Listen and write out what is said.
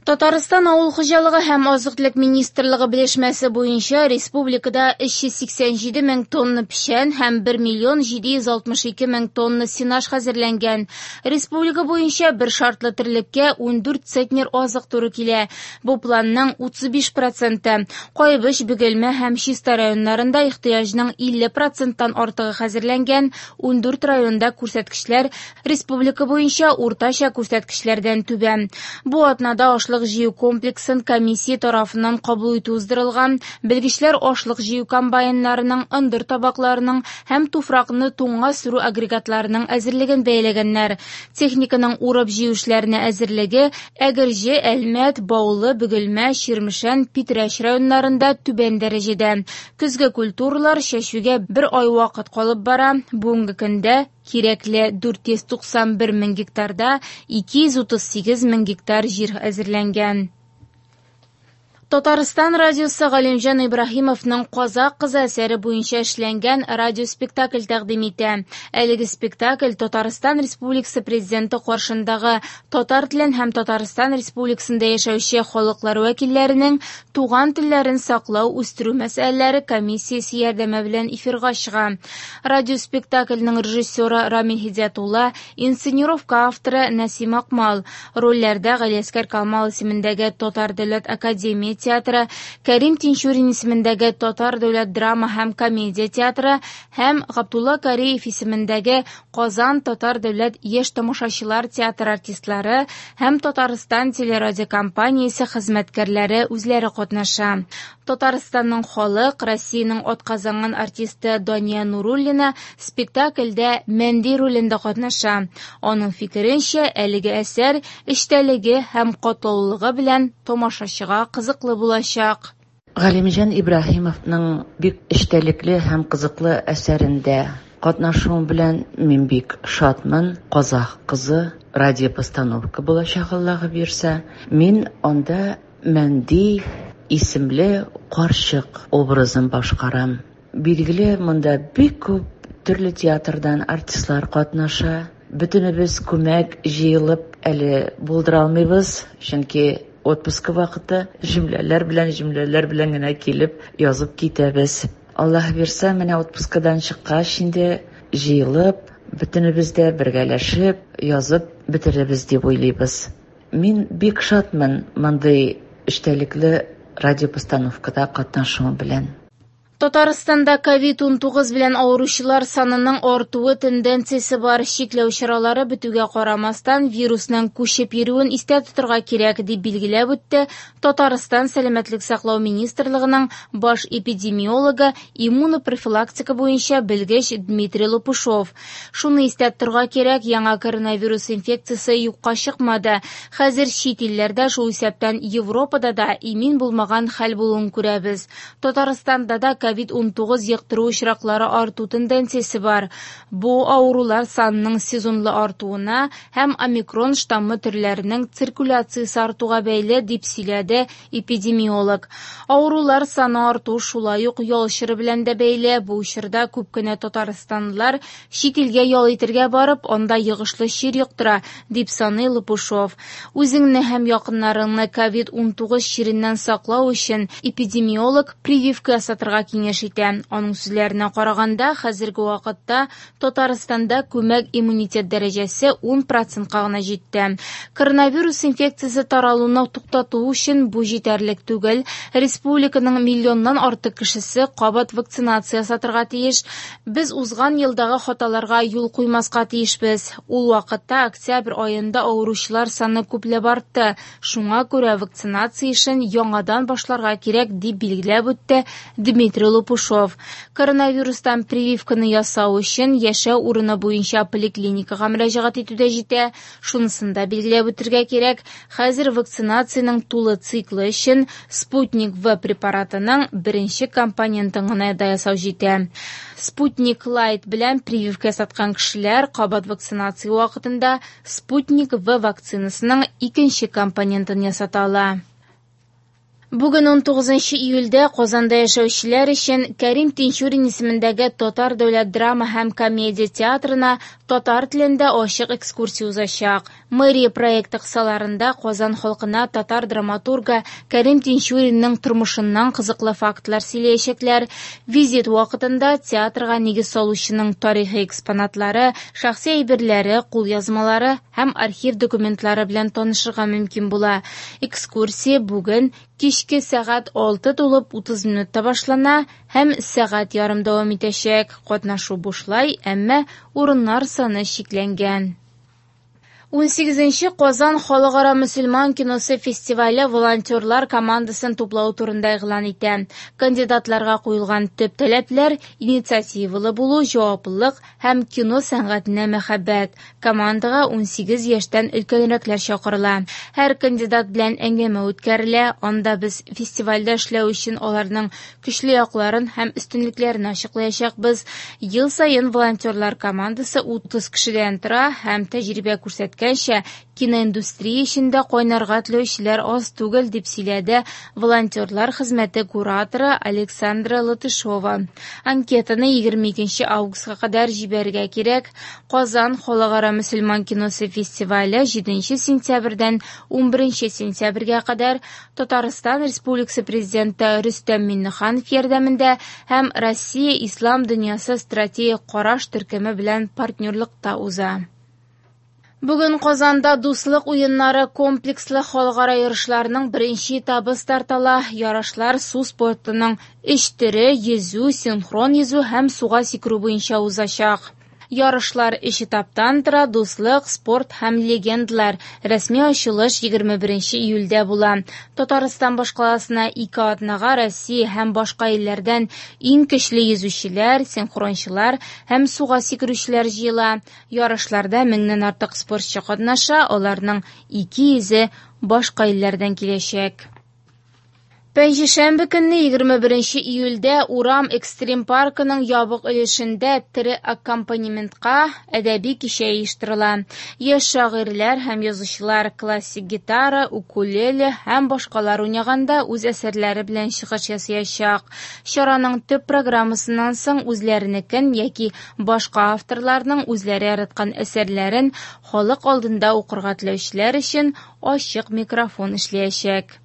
Татарстан авыл хуҗалыгы һәм азык-төлек министрлыгы белешмәсе буенча республикада 387 мең тонна печән һәм 1 миллион 762 мең тонна сенаж хәзерләнгән. Республика буенча бер шартлы терлеккә 14 центнер азык туры килә. Бу планның 35 проценты. Кайбыч, Бөгелмә һәм Чистай районнарында ихтыяҗның 50 проценттан артыгы хәзерләнгән, 14 районда күрсәткечләр республика буенча уртача күрсәткечләрдән түбән. Бу атнада ашлык җыю комплексын комиссия тарафыннан кабул итү уздырылган. Белгечләр ашлык җыю комбайннарының, ындыр табакларының һәм туфракны туңга сөрү агрегатларының әзерлеген бәяләгәннәр. Техниканың урып-җыю эшләренә әзерлеге Әгерҗе, Әлмәт, Баулы, Бөгелмә, Чирмешән, Питрәч районнарында түбән дәрәҗәдә. Көзге культуралар чәчүгә бер ай вакыт калып бара. Бүгенге көндә кирәкле 491 мең гектарда 238 мең гектар җир әзерләнгән. Татарстан радиосы Галимҗан Ибраһимовның Казак кызы әсәре буенча эшләнгән радиоспектакль тәкъдим итә. Әлеге спектакль Татарстан Республикасы Президенты каршындагы татар телен һәм Татарстан Республикасында яшәүче халыклар вәкилләренең туган телләрен саклау, үстерү мәсьәләләре комиссиясе ярдәме белән эфирга чыга. Радиоспектакльнең режиссеры Рамил Һидиятулла, инсценировка авторы Нәсим Акмал. Рольләрдә Галиәсгар Камал исемендәге Татар дәүләт академия театры, Кәрим Тинчурин исемендәге Татар дәүләт драма һәм комедия театры һәм Габдулла Кариев исемендәге Казан татар дәүләт яшь тамашачылар театры артистлары һәм Татарстан телерадиокомпаниясе хезмәткәрләре үзләре катнаша. Татарстанның халык, Россиянең атказанган артисты Дания Нуруллина спектакльдә Мәнди ролендә катнаша. Аның фикеренчә, әлеге әсәр эчтәлеге һәм катлаулылыгы белән тамашачыга кызыклы булачак. Галимҗан Ибраһимовның бик эчтәлекле һәм кызыклы әсәрендә катнашуым белән мин бик шатмын. Казах кызы радиопостановка булачак, Аллаһы бирсә. Мин анда Мәнди исемле карчык образын башкарам. Билгеле, монда бик күп төрле театрдан артистлар катнаша. Бөтенебез күмәк җыелып әле булдыра алмыйбыз, чөнки отпуска вакыты, җөмләләр белән, җөмләләр белән генә килеп язып китәбез. Аллаһ бирсә, менә отпускадан чыккач инде җыелып, бөтенебез дә бергәләшеп язып бетерербез дип уйлыйбыз. Мин бик шатмын мондый эчтәлекле радиопостановкада катнашуым белән. Татарстанда ковид-19 белән авыручылар санының артуы тенденциясе бар. Чикләү чаралары бетүгә карамастан, вирусның күчеп йөрүен истә тотырга кирәк, дип билгеләп үтте Татарстан Сәламәтлек саклау министрлыгының баш эпидемиологы, иммунопрофилактика буенча белгеч Дмитрий Лопушов. Шуны истә тотырга кирәк, яңа коронавирус инфекциясе юкка чыкмады. Хәзер чит илләрдә, шул исәптән Европада да имин булмаган хәл булуын күрәбез. Татарстанда да ковид-19 йоктыру очраклары арту тенденциясе бар. Бу авырулар санының сезонлы артуына һәм омикрон штаммы төрләренең циркуляциясе артуга бәйле, дип сөйләде эпидемиолог. Авырулар саны арту шулай ук ял чоры белән дә бәйле. Бу чорда күп кенә татарстанлылар чит илгә ял итергә барып, анда йогышлы чир йоктыра, дип саный Лопушов. Үзеңне һәм якыннарыңны ковид-19 чиреннән саклау өчен эпидемиолог прививка ясатырга киңәш итә. Аның сүзләренә караганда, хәзерге вакытта Татарстанда күмәк иммунитет дәрәҗәсе 10 процентка гына җитте. Коронавирус инфекциясе таралуны туктату өчен бу җитәрлек түгел. Республиканың миллионнан артык кешесе кабат вакцинация ясатырга тиеш. Без узган елдагы хаталарга юл куймаска тиешбез. Ул вакытта октябрь аенда авыручылар саны күпләп артты. Шуңа күрә вакцинация эшен яңадан башларга кирәк, дип билгеләп үтте Дмитрий Лопушов. Коронавирустан прививканы ясау өчен яшәү урыны буенча поликлиникага мөрәҗәгать итү дә җитә. Шунысын да билгеләп үтергә кирәк, хәзер вакцинациянең тулы циклы өчен Спутник В препаратының беренче компонентын гына да ясау җитә. Спутник Лайт белән прививка ясаткан кешеләр кабат вакцинация вакытында Спутник В вакцинасының икенче компонентын ясата ала. Бүген 19 июльдә Казанда яшәүчеләр өчен Кәрим Тинчурин исемендәге Татар дәүләт драма һәм комедия театрына татар телендә ачык экскурсия узачак. Мэрия проекты кысаларында Казан халкына татар драматургы Кәрим Тинчуринның тормышыннан кызыклы фактлар сөйләячәкләр. Визит вакытында театрга нигез салучының тарихи экспонатлары, шәхси әйберләре, кулъязмалары һәм архив документлары белән танышырга мөмкин була. Экскурсия бүген кичке сәгать 6:30 минутта башлана һәм сәгать ярым дәвам итәчәк. Катнашу бушлай, әмма урыннар саны чикләнгән. 18нче Казан халыкара мөселман киносы фестивале волонтерлар командасын туплау турында игълан итә. Кандидатларга куелган төп таләпләр – инициативалы булу, җаваплылык һәм кино сәнгатенә мәхәббәт. Командага 18 яшьтән өлкәнрәкләр чакырыла. Һәр кандидат белән әңгәмә үткәрелә, анда без фестивальдә эшләү өчен аларның көчле якларын һәм өстенлекләрен ачыклаячакбыз. Ел саен волонтерлар командасы 30 кешедән тора һәм тәҗрибә күрсәткәнчә, киноиндустрия эчендә кайнарга теләүчеләр аз түгел, дип сөйләде волонтерлар хезмәте кураторы Александра Латышова. Анкетаны 22 августка кадәр җибәрергә кирәк. Казан халыкара мөселман киносы фестивале 7 сентябрьдән 11 сентябрьгә кадәр Татарстан Республикасы Президенты Рөстәм Миңнеханов ярдәмендә һәм Россия Ислам дөньясы стратегик караш төркеме белән партнерлыкта уза. Бүген Казанда Дуслык уеннары комплекслы халыкара ярышларының беренче этабы старт ала. Ярышлар су спортының өч төре – йөзү, синхрон йөзү һәм суга сикерү буенча узачак. Ярышлар өч этаптан тора: дуслык, спорт һәм легендалар. Рәсми ачылыш 21 июльдә була. Татарстан башкаласына ике атнага Россия һәм башка илләрдән иң көчле йөзүчеләр, синхрончылар һәм суга сикерүчеләр җыела. Ярышларда меңнән артык спортчы катнаша, аларның 200-е башка илләрдән киләчәк. Пәнҗешәмбе көнне 21 июльдә Урам экстрим паркының ябык өлешендә тере аккомпанементка әдәби кичә оештырыла. Яшь шагыйрьләр һәм язучылар классик гитара, укулеле һәм башкалар уйнаганда үз әсәрләре белән чыгыш ясаячак. Чараның төп программасыннан соң үзләренекен яки башка авторларның үзләре яраткан әсәрләрен халык алдында укырга теләүчеләр өчен ачык микрофон эшләячәк.